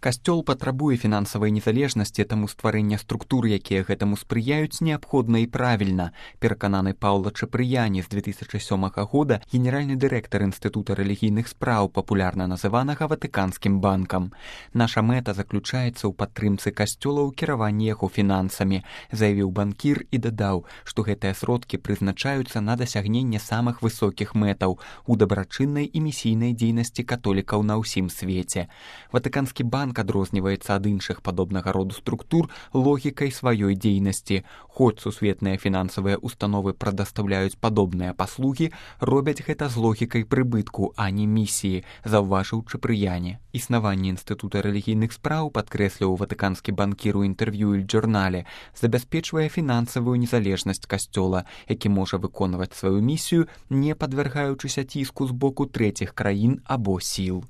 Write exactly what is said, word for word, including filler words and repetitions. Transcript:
Касцёл патрабуе фінансавай незалежнасці, таму стварэнне структур, якія гэтаму спрыяюць, неабходна і правільна, перакананы Паўла Чапрыяні з две тысячы сёмага года, генеральны дырэктар Інстытута рэлігійных спраў, папулярна называнага Ватыканскім банкам. Наша мэта заключаецца ў падтрымцы касцёла ў кіраванні яго фінансамі, заявіў банкір і дадаў, што гэтыя сродкі прызначаюцца на дасягненне самых высокіх мэтаў у дабрачыннай і місійнай дзейнасці католікаў на ўсім свеце. Ватыканскі банк адрозніваецца ад іншых падобнага роду структур логікай сваёй дзейнасці. Хоць сусветныя фінансавыя установы прадастаўляюць падобныя паслугі, робяць гэта з логікай прыбытку, а не місіі, заўважыў Чапрыяні. Існаванне Інстытута рэлігійных спраў, падкрэсліў ватыканскі банкір у інтэрв'ю «Эль-Джорнале», забяспечвае фінансавую незалежнасць касцёла, які можа выконваць сваю місію, не падвяргаючыся ціску з боку трэціх краін або сіл.